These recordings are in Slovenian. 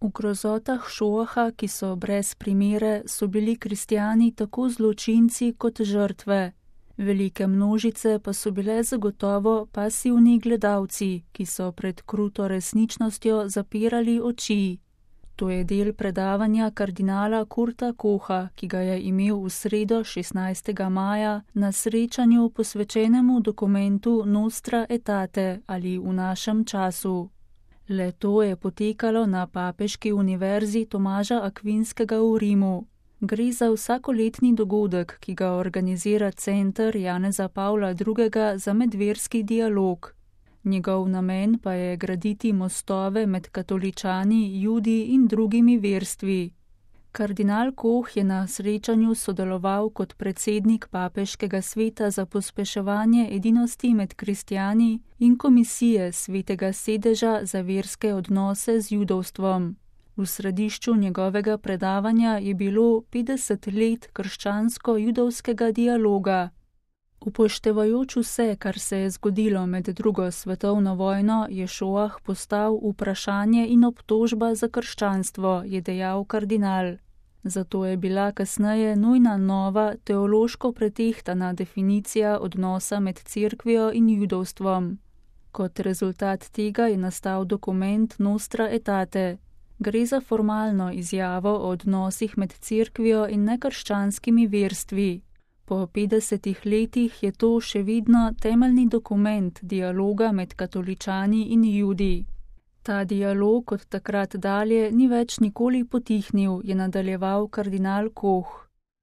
V grozotah Šoaha, ki so brez primere, so bili kristjani tako zločinci kot žrtve. Velike množice pa so bile zagotovo pasivni gledalci, ki so pred kruto resničnostjo zapirali oči. To je del predavanja kardinala Kurta Kocha, ki ga je imel v sredo 16. maja na srečanju posvečenemu dokumentu Nostra Aetate ali V našem času. Le to je potekalo na Papeški univerzi Tomaža Akvinskega v Rimu. Gre za vsakoletni dogodek, ki ga organizira Center Janeza Pavla II. Za medverski dialog. Njegov namen pa je graditi mostove med katoličani, Judi in drugimi verstvi. Kardinal Koch je na srečanju sodeloval kot predsednik Papeškega sveta za pospeševanje edinosti med kristjani in komisije Svetega sedeža za verske odnose z judovstvom. V središču njegovega predavanja je bilo 50 let krščansko-judovskega dialoga. Upoštevajoč vse, kar se je zgodilo med drugo svetovno vojno, je Šoah postal vprašanje in obtožba za krščanstvo, je dejal kardinal. Zato je bila kasneje nujna nova, teološko pretehtana definicija odnosa med cerkvijo in judovstvom. Kot rezultat tega je nastal dokument Nostra Aetate. Gre za formalno izjavo o odnosih med cerkvijo in nekrščanskimi verstvi. Po 50 letih je to še vedno temeljni dokument dialoga med katoličani in Judi. Ta dialog od takrat dalje ni več nikoli potihnil, je nadaljeval kardinal Koch.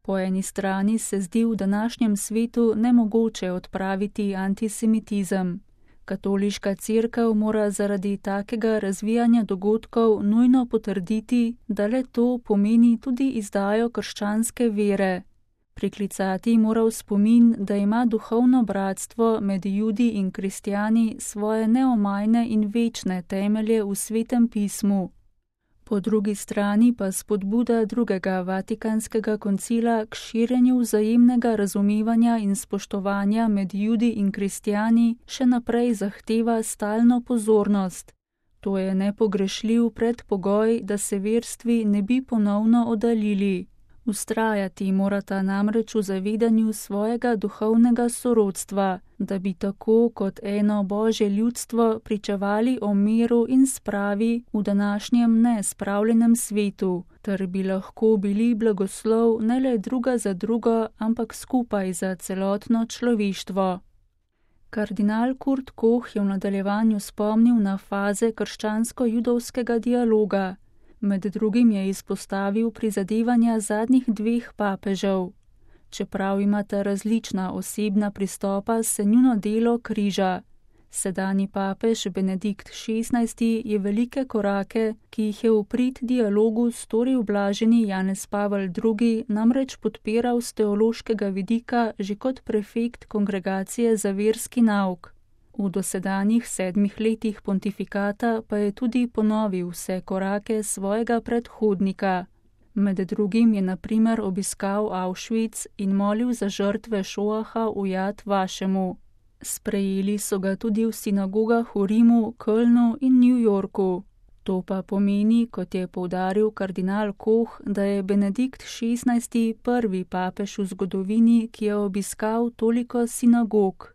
Po eni strani se zdi v današnjem svetu nemogoče odpraviti antisemitizem. Katoliška cerkev mora zaradi takega razvijanja dogodkov nujno potrditi, da le to pomeni tudi izdajo krščanske vere. Priklicati mora v spomin, da ima duhovno bratstvo med Judi in kristjani svoje neomajne in večne temelje v Svetem pismu. Po drugi strani pa spodbuda drugega Vatikanskega koncila k širjenju vzajemnega razumevanja in spoštovanja med Judi in kristjani še naprej zahteva stalno pozornost. To je nepogrešljiv predpogoj, da se verstvi ne bi ponovno oddaljili. Vztrajati morata namreč v zavedanju svojega duhovnega sorodstva, da bi tako kot eno Božje ljudstvo pričevali o miru in spravi v današnjem nespravljenem svetu, ter bi lahko bili blagoslov ne le druga za drugo, ampak skupaj za celotno človeštvo. Kardinal Kurt Koch je v nadaljevanju spomnil na faze krščansko-judovskega dialoga. Med drugim je izpostavil prizadevanja zadnjih 2 papežev. Čeprav imata različna osebna pristopa, se njuno delo križa. Sedanji papež Benedikt XVI je velike korake, ki jih je v prid dialogu storil blaženi Janez Pavel II, namreč podpiral z teološkega vidika že kot prefekt kongregacije za verski nauk. V dosedanjih 7 letih pontifikata pa je tudi ponovil vse korake svojega predhodnika. Med drugim je na primer obiskal Auschwitz in molil za žrtve Šoaha v Jad Vašemu. Sprejeli so ga tudi v sinagogah v Rimu, Kölnu in New Yorku. To pa pomeni, kot je poudaril kardinal Koch, da je Benedikt XVI prvi papež v zgodovini, ki je obiskal toliko sinagog.